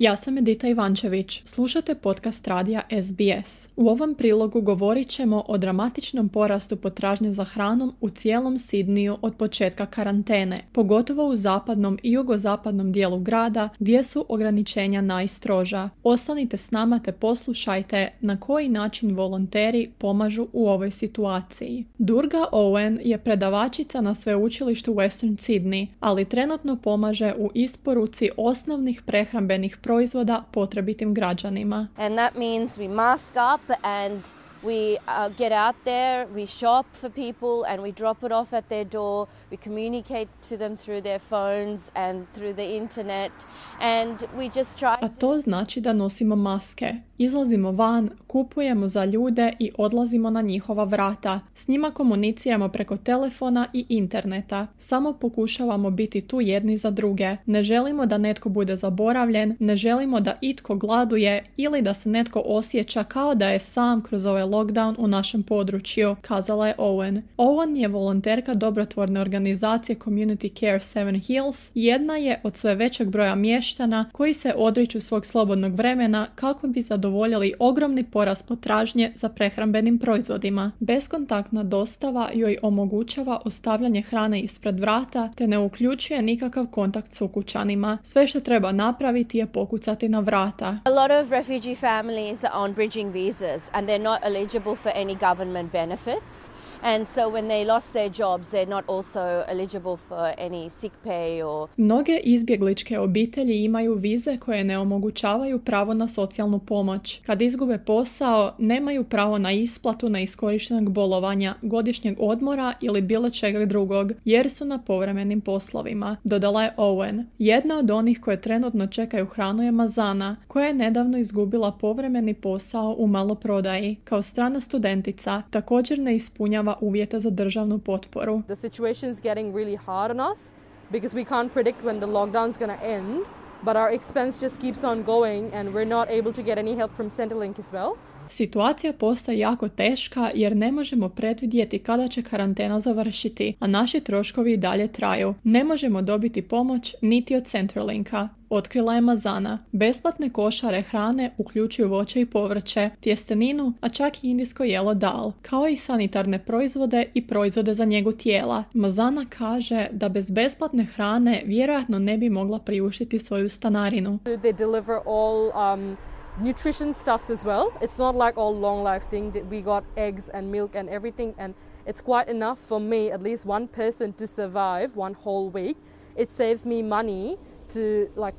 Ja sam Edita Ivančević, slušate podcast radija SBS. U ovom prilogu govorit ćemo o dramatičnom porastu potražnje za hranom u cijelom Sidniju od početka karantene, pogotovo u zapadnom i jugozapadnom dijelu grada gdje su ograničenja najstroža. Ostanite s nama te poslušajte na koji način volonteri pomažu u ovoj situaciji. Durga Owen je predavačica na sveučilištu Western Sydney, ali trenutno pomaže u isporuci osnovnih prehrambenih proizvoda potrebitim građanima. And that means we mask up and we get out there, we shop for people and we drop it off at their door. We communicate to them through their phones and through the internet and we just try A to znači da nosimo maske, izlazimo van, kupujemo za ljude i odlazimo na njihova vrata. S njima komuniciramo preko telefona i interneta. Samo pokušavamo biti tu jedni za druge. Ne želimo da netko bude zaboravljen, ne želimo da itko gladuje ili da se netko osjeća kao da je sam kroz ovaj lockdown u našem području, kazala je Owen. Owen je volonterka dobrotvorne organizacije Community Care Seven Hills. Jedna je od sve većeg broja mještana koji se odriču svog slobodnog vremena kako bi zadovoljili ogromni porast potražnje za prehrambenim proizvodima. Beskontaktna dostava joj omogućava ostavljanje hrane ispred vrata te ne uključuje nikakav kontakt s ukućanima. Sve što treba napraviti je pokucati na vrata. A lot of refugee families are on bridging visas and they're not eligible for any government benefits. And so when they lost their jobs, they're not also eligible for any sick pay or... Mnoge izbjegličke obitelji imaju vize koje ne omogućavaju pravo na socijalnu pomoć. Kad izgube posao, nemaju pravo na isplatu neiskorištenog bolovanja, godišnjeg odmora ili bilo čega drugog, jer su na povremenim poslovima, dodala je Owen. Jedna od onih koje trenutno čekaju hranu je Mazana, koja je nedavno izgubila povremeni posao u maloprodaji. Kao strana studentica, također ne ispunjava uvjete za državnu potporu. The situation is getting really hard on us because we can't predict when the lockdown's going to end, but our expense just keeps on going and we're not able to get any help from Centrelink as well. Situacija postaje jako teška jer ne možemo predvidjeti kada će karantena završiti, a naši troškovi i dalje traju. Ne možemo dobiti pomoć niti od Centralinka, otkrila je Mazana. Besplatne košare hrane uključuju voće i povrće, tjesteninu, a čak i indijsko jelo dal, kao i sanitarne proizvode i proizvode za njegu tijela. Mazana kaže da bez besplatne hrane vjerojatno ne bi mogla priuštiti svoju stanarinu. They deliver all nutrition stuffs as well. It's not like all long life thing that we got eggs and milk and everything, and it's quite enough for me, at least one person, to survive one whole week. It saves me money to, like,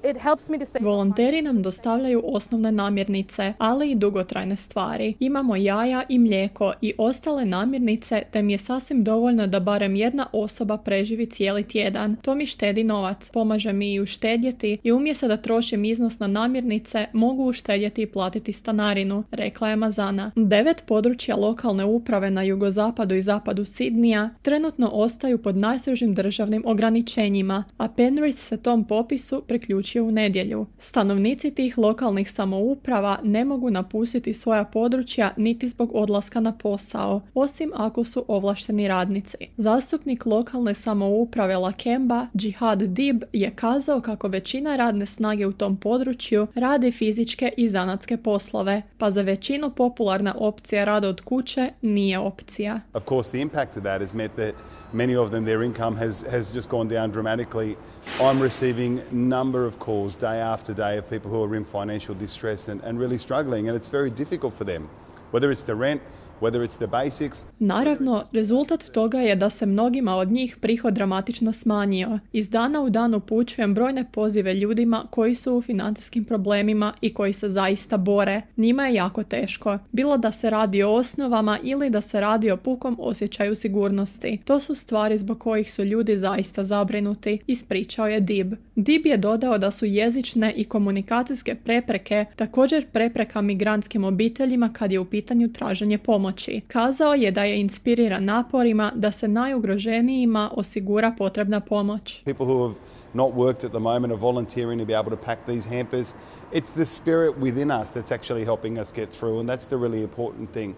it helps me to save. Volonteri nam dostavljaju osnovne namirnice, ali i dugotrajne stvari. Imamo jaja i mlijeko i ostale namirnice, te mi je sasvim dovoljno da barem jedna osoba preživi cijeli tjedan. To mi štedi novac, pomaže mi i uštedjeti i umjesto da trošim iznos na namirnice, mogu uštedjeti i platiti stanarinu, rekla je Mazana. 9 područja lokalne uprave na jugozapadu i zapadu Sidnija trenutno ostaju pod najstrožim državnim ograničenjima, a Penrith se tom popisu priključuje u nedjelju. Stanovnici tih lokalnih samouprava ne mogu napustiti svoja područja niti zbog odlaska na posao, osim ako su ovlašteni radnici. Zastupnik lokalne samouprave Lakemba, Jihad Dib, je kazao kako većina radne snage u tom području radi fizičke i zanatske poslove, pa za većinu popularna opcija rada od kuće nije opcija. Of course, the impact of that has meant that many of them, their income has just gone down dramatically. I'm receiving a number of calls day after day of people who are in financial distress and really struggling, and it's very difficult for them, whether it's the rent, whether it's the basics. Naravno, rezultat toga je da se mnogima od njih prihod dramatično smanjio. Iz dana u dan upućujem brojne pozive ljudima koji su u financijskim problemima i koji se zaista bore. Njima je jako teško. Bilo da se radi o osnovama ili da se radi o pukom osjećaju sigurnosti. To su stvari zbog kojih su ljudi zaista zabrinuti, ispričao je Dib. Dib je dodao da su jezične i komunikacijske prepreke također prepreka migrantskim obiteljima kad je u pitanju traženje pomoći. Kazao je da je inspiriran naporima da se najugroženijima osigura potrebna pomoć. People who have not worked at the moment are volunteering to be able to pack these hampers. It's the spirit within us that's actually helping us get through, and that's the really important thing.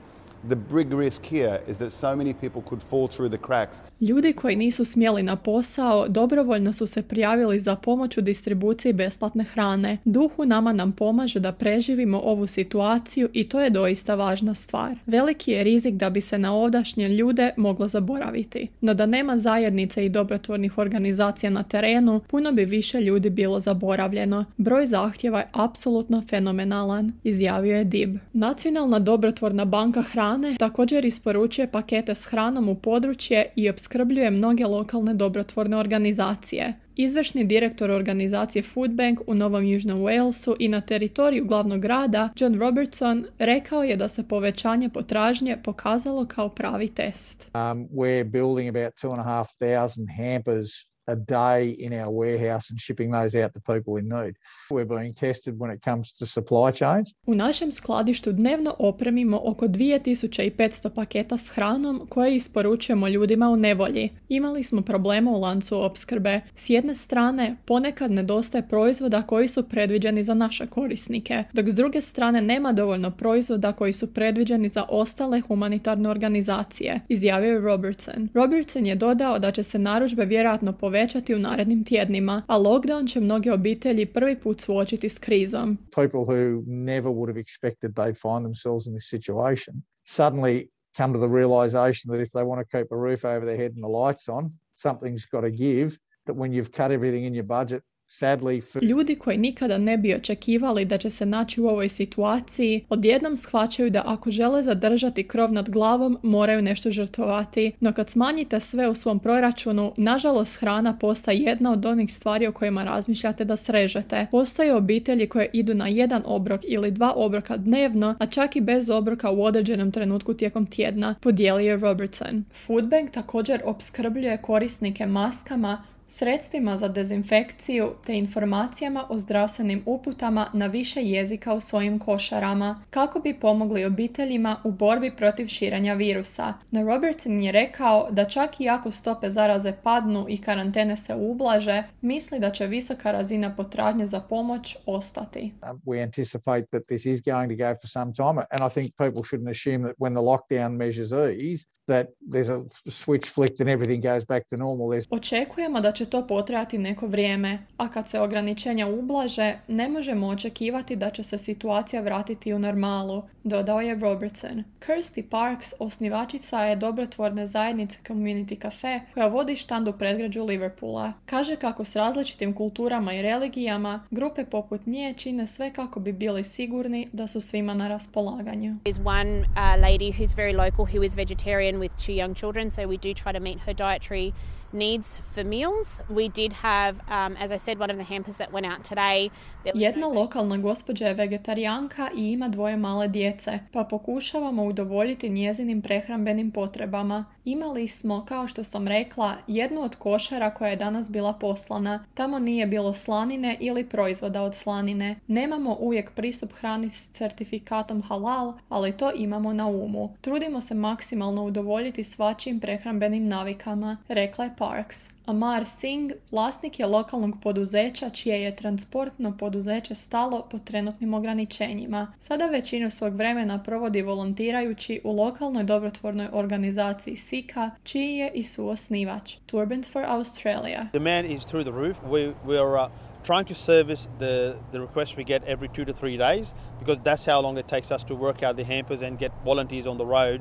The big risk here is that so many people could fall through the cracks. Ljudi koji nisu smjeli na posao dobrovoljno su se prijavili za pomoć u distribuciji besplatne hrane. Duh u nama nam pomaže da preživimo ovu situaciju i to je doista važna stvar. Veliki je rizik da bi se na ovdašnje ljude moglo zaboraviti. No da nema zajednice i dobrotvornih organizacija na terenu, puno bi više ljudi bilo zaboravljeno. Broj zahtjeva je apsolutno fenomenalan, izjavio je DIB. Nacionalna dobrotvorna banka hrane također isporučuje pakete s hranom u područje i opskrbljuje mnoge lokalne dobrotvorne organizacije. Izvršni direktor organizacije Food Bank u Novom Južnom Walesu i na teritoriju glavnog grada, John Robertson, rekao je da se povećanje potražnje pokazalo kao pravi test. We're building about 2,500 hampers a day in our warehouse and shipping those out to people in need. We're being tested when it comes to supply chains. U našem skladištu dnevno opremimo oko 2500 paketa s hranom koje isporučujemo ljudima u nevolji. Imali smo problema u lancu opskrbe. S jedne strane, ponekad nedostaje proizvoda koji su predviđeni za naše korisnike, dok s druge strane nema dovoljno proizvoda koji su predviđeni za ostale humanitarne organizacije, izjavio je Robertson. Robertson je dodao da će se narudžbe vjerojatno povećati u narednim tjednima, a lockdown će mnoge obitelji prvi put suočiti s krizom. People who never would have expected they'd find themselves in this situation suddenly come to the realization that if they want to keep a roof over their head and the lights on, something's got to give, that when you've cut everything in your budget, ljudi koji nikada ne bi očekivali da će se naći u ovoj situaciji, odjednom shvaćaju da ako žele zadržati krov nad glavom, moraju nešto žrtvovati. No kad smanjite sve u svom proračunu, nažalost hrana postaje jedna od onih stvari o kojima razmišljate da srežete. Postoje obitelji koje idu na jedan obrok ili 2 obroka dnevno, a čak i bez obroka u određenom trenutku tijekom tjedna, podijelio je Robertson. Food Bank također opskrbljuje korisnike maskama, sredstvima za dezinfekciju te informacijama o zdravstvenim uputama na više jezika u svojim košarama, kako bi pomogli obiteljima u borbi protiv širenja virusa. No Robertson je rekao da čak i ako stope zaraze padnu i karantene se ublaže, misli da će visoka razina potražnje za pomoć ostati. We anticipate that this is going to go for some time, and I think people shouldn't assume that when the lockdown measures ease, that there's a switch flicked and everything goes back to normal. Očekujemo da će to potrajati neko vrijeme, a kad se ograničenja ublaže, ne možemo očekivati da će se situacija vratiti u normalu, dodao je Robertson. Kirsty Parks, osnivačica je dobrotvorne zajednice Community Cafe, koja vodi štand u predgrađu Liverpoola. Kaže kako s različitim kulturama i religijama, grupe poput nje čine sve kako bi bili sigurni da su svima na raspolaganju. There's one lady who's very local who is vegetarian with 2 young children, so we do try to meet her dietary needs for meals. We did have, as I said, one of the hampers that went out today. Jedna lokalna gospođa je vegetarijanka i ima 2 male djece, pa pokušavamo udovoljiti njezinim prehrambenim potrebama. Imali smo, kao što sam rekla, jednu od košara koja je danas bila poslana. Tamo nije bilo slanine ili proizvoda od slanine. Nemamo uvijek pristup hrani s certifikatom halal, ali to imamo na umu. Trudimo se maksimalno udovoljiti svačijim prehrambenim navikama, rekla je Parks. Amar Singh, vlasnik je lokalnog poduzeća čije je transportno poduzeće stalo pod trenutnim ograničenjima. Sada većinu svog vremena provodi volontirajući u lokalnoj dobrotvornoj organizaciji SICA, čiji je i suosnivač. Turbans for Australia. Demand is through the roof. We are trying to service the requests we get every 2 to 3 days, because that's how long it takes us to work out the hampers and get volunteers on the road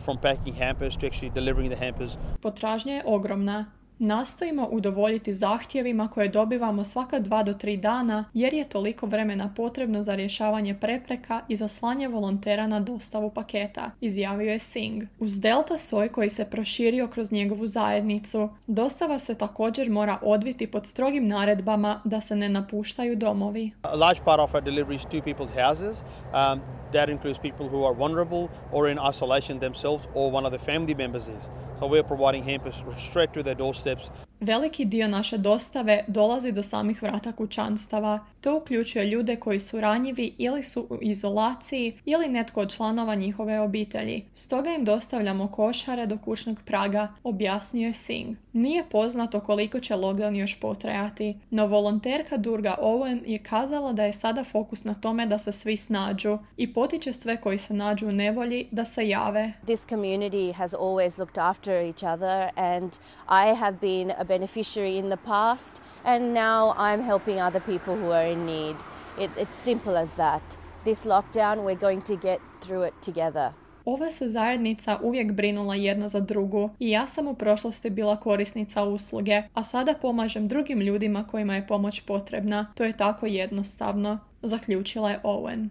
from packing hampers to actually delivering the hampers. Potražnja je ogromna. Nastojimo udovoljiti zahtjevima koje dobivamo svaka 2 do 3 dana jer je toliko vremena potrebno za rješavanje prepreka i za slanje volontera na dostavu paketa, izjavio je Singh. Uz Delta soj koji se proširio kroz njegovu zajednicu, dostava se također mora odviti pod strogim naredbama da se ne napuštaju domovi. A large part of our delivery is to people's houses. That includes people who are vulnerable or in isolation themselves or one of the family members is. So we're providing hampers straight to their doorsteps. Veliki dio naše dostave dolazi do samih vrata kućanstava. To uključuje ljude koji su ranjivi ili su u izolaciji ili netko od članova njihove obitelji. Stoga im dostavljamo košare do kućnog praga, objasnio je Singh. Nije poznato koliko će lockdown još potrajati, no volonterka Durga Owen je kazala da je sada fokus na tome da se svi snađu i potiče sve koji se nađu u nevolji da se jave. This community has always looked after each other, and I have been a beneficiary in the past, and now I'm helping other people who are in need. It's simple as that. This lockdown, we're going to get through it together. Ova se zajednica uvijek brinula jedna za drugu i ja sam u prošlosti bila korisnica usluge, a sada pomažem drugim ljudima kojima je pomoć potrebna. To je tako jednostavno, zaključila je Owen.